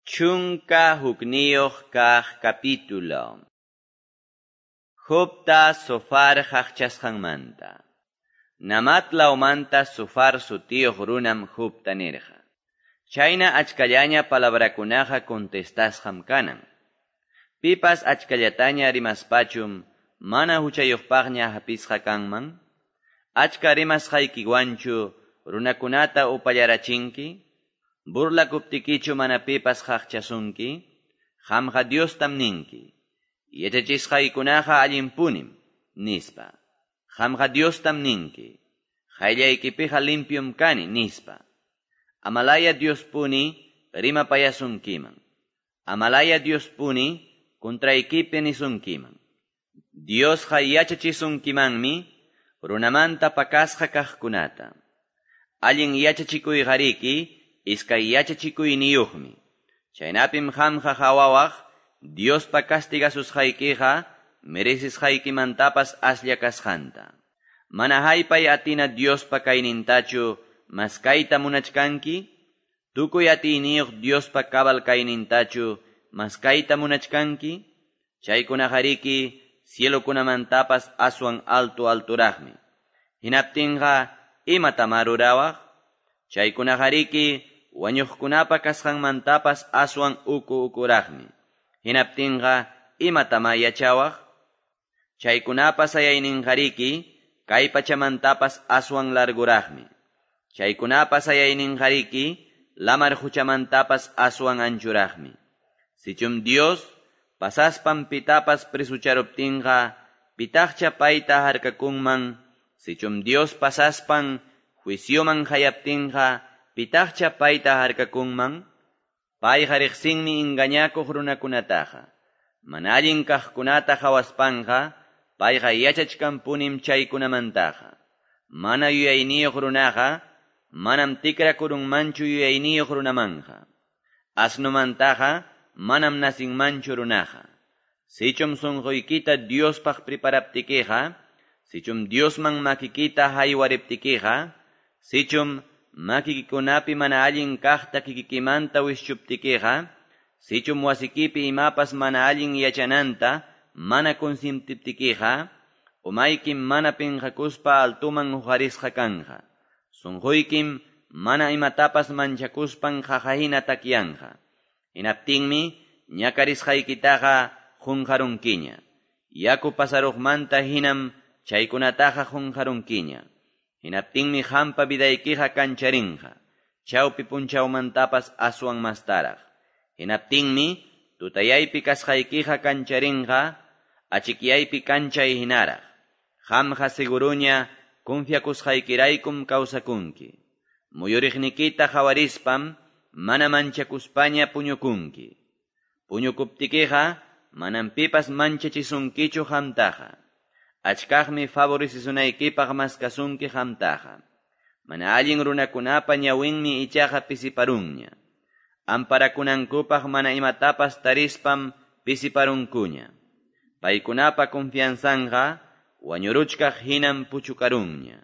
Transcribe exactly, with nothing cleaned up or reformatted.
Chunka hukniyuq kaq capítulo. Jobta Zofar qaqchasqanmanta. Naamat lawmanta Zofar sutiyuq runam Jobta nirqa. Chayna achkallaña palabrakunaqa contestasqam kanan. Pipas achkallataña rimaspachum mana huchayuqpaqña hapisqa kanman. Achka rimasqaykiwanchu runakunata upallarachinki. Burlakuptikichu mana pipas qaqchasunki. Qamqa Diostam ninki. Yachachisqaykunaqa allinpunim, nispa. Qamqa Diostam ninki. Qayllaykipiqa limpium kani, nispa. Amalaya Diospuni rimapayasunkiman. Amalaya Diospuni contraykipi nisunkiman. Diosqa yachachisunkimanmi runamanta pakasqa kaqkunata. Allin yachachikuyqariki iskay yachachikuyniyuqmi. Chaynapim qamqa qhawawaq Diospa castigasusqaykiqa merecisqaykimantapas aslla kasqanta. Mana haypay atina Diospa kaynintachu maskayta munachkanki? Tukuy atiyniyuq Diospa cabal kaynintachu maskayta munachkanki? Chaykunaqariki cielokunamantapas aswan alto alturaqmi. Hinaptinqa imatamá rurawaq? Chaykunaqariki wañuqkunapa kasqanmantapas aswan uku ukuraqmi. Hinaptinqa imatamá yachawaq? Chaykunapa sayayninqariki kay pachamantapas aswan larguraqmi. Chaykunapa sayayninqariki lamar huchamantapas aswan anchuraqmi. Sichum Dios pasaspan pitapas presucharuptinqa pitaqcha payta harkakunman. Sichum Dios pasaspan juicioman hayaptinqa pitaqcha payta harkakunman. Payqa riqsinmi engañakuq runakunataqa. Mana allin kaqkunata qhawaspanqa payqa yachachkanpunim chaykunamantaqa. Mana yuyayniyuq runaqa manam tikrakurunmanchu yuyayniyuq runamanqa. Asnumantaqa manam nasinmanchu runaqa. Sichum sunquykita Diospaq preparaptikiqa, sichum Diosman makikita haywariptikiqa, sichum makikikunapi mana allin kaqta kikikimanta wischuptikiqa, sichum wasikipi imapas mana allin yachananta mana consintiptikiqa, umaykim mana pinqakuspa altuman huqarisqa kanqa. Sunquykim mana imatapas manchakuspan qaqahina takyanqa. Hinaptinmi ñakarisqaykitaqa qunqarunkiña. Yaku pasaruqmanta hinam chaykunataqa qunqarunkiña. Hinaptinmi qampa vidaykiqa kancharinqa. Chawpi punchawmantapas aswan mastaraq. Hinaptinmi tutayaypi kasqaykiqa kancharinqa, achikyaypi kanchay hinaraq. Qamqa seguruña confiakusqaykiraykum kawsakunki. Muyuriqnikita qhawarispam mana manchakuspaña puñukunki. Puñukuptikiqa manam pipas manchachisunkichu qamtaqa. Achkaqmi favorecizunaykipaq maskasunki qamtaqa. Mana allin runakunapa ñawinmi ichaqa pisiparunña. Amparakunankupaq mana imatapas tarispam pisiparunkuña. Paykunapa confianzanqa wañuruchkaq hinam puchukarunña.